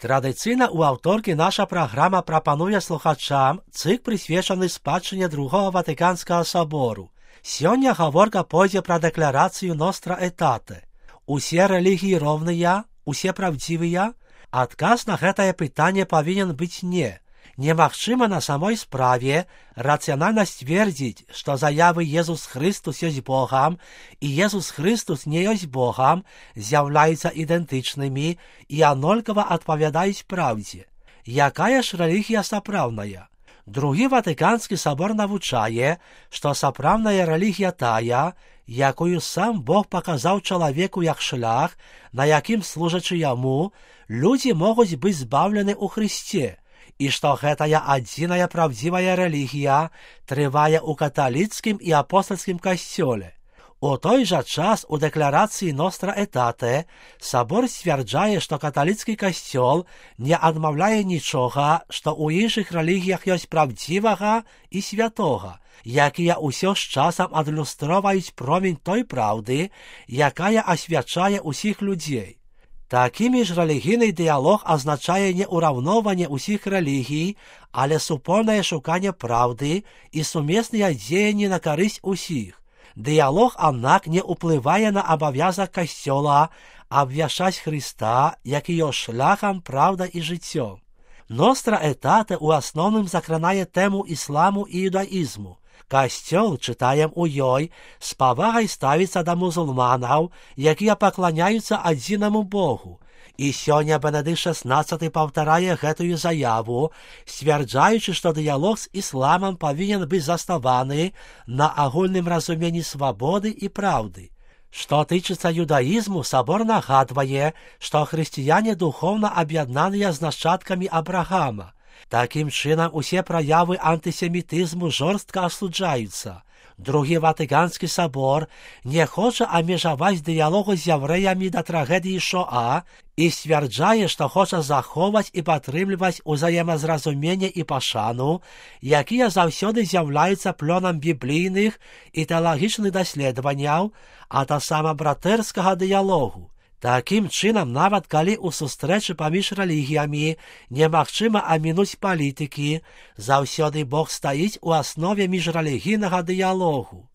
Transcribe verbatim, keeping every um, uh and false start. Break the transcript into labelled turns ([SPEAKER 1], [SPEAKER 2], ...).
[SPEAKER 1] Традиційна у авторки наша програма пропонує слухачам цикл, присвячений спадщині Другого Ватиканського собору. Сьогодні говорка пойде про декларацію Nostra Aetate. Усе релігії ровные, усе правдивые? Отказ на гэтае пытанне повинен быть не. Немагчыма на самой справе рацыянальна сцвердзіць, што заявы «Езус Христус ёсць Богам» і «Езус Христус не ёсць Богам» з'яўляюцца ідэнтычнымі і аднолькава адпавядаюць праўдзе. Якая ж рэлігія сапраўдная? Другі Ватыканскі собор навучае, што сапраўдная рэлігія тая, якую сам Бог паказаў чалавеку як шлях, на якім, служачы яму, людзі могуць быць збаўлены ў Хрысце, і што гэтая адзіная правдзівая рэлігія трывае ў каталіцкім і апостальскім касцёле. У той жа час у дэкларацыі Nostra Aetate сабор сцвярджае, што каталіцкі касцёл не адмаўляе нічога, што ў іншых рэлігіях ёсць правдзівага і святога, якія ўсё з часам адлюстроўваюць промень той праўды, якая асвячае ўсіх людзей. Такімі ж рэлігійны дыялог азначае не ўраўноўванне ўсіх рэлігій, але супольнае шуканне праўды і сумесныя дзеянні на карысць усіх. Дыялог, аднак, не ўплывае на абавязак касцёла абвяшчаць Хрыста, які ёсць шляхам, праўда і жыццё. Nostra Aetate у асноўным закранае тэму ісламу і іудаізму. Касцёл, чытаем у ёй, з павагай ставіцца да мусульманаў, якія пакланяюцца адзінаму Богу. І сёння Бенедыкт шаснаццаты паўтарае гэтую заяву, сцвярджаючы, што дыялог з ісламам павінен быць заснаваны на агульным разуменні свабоды і праўды. Што тычыцца юдаізму, сабор нагадвае, што хрысціяне духоўна аб'яднаныя з нашчадкамі Абрагама. Такім чынам, усе праявы антысемітызму жорстка асуджаюцца. Другі Ватыканскі сабор не хоча абмежаваць дыялогу з яўрэямі да трагедыі Шоа і сцвярджае, што хоча захоўваць і падтрымліваць узаемазразуменне і пашану, якія заўсёды з'яўляюцца плёнам біблійных і тэалагічных даследаванняў, а таксама братэрскага дыялогу. Такім чынам, нават калі ў сустрэчы паміж рэлігіямі немагчыма амінуць палітыкі, заўсёды Бог стаіць у аснове міжрэлігійнага дыялогу.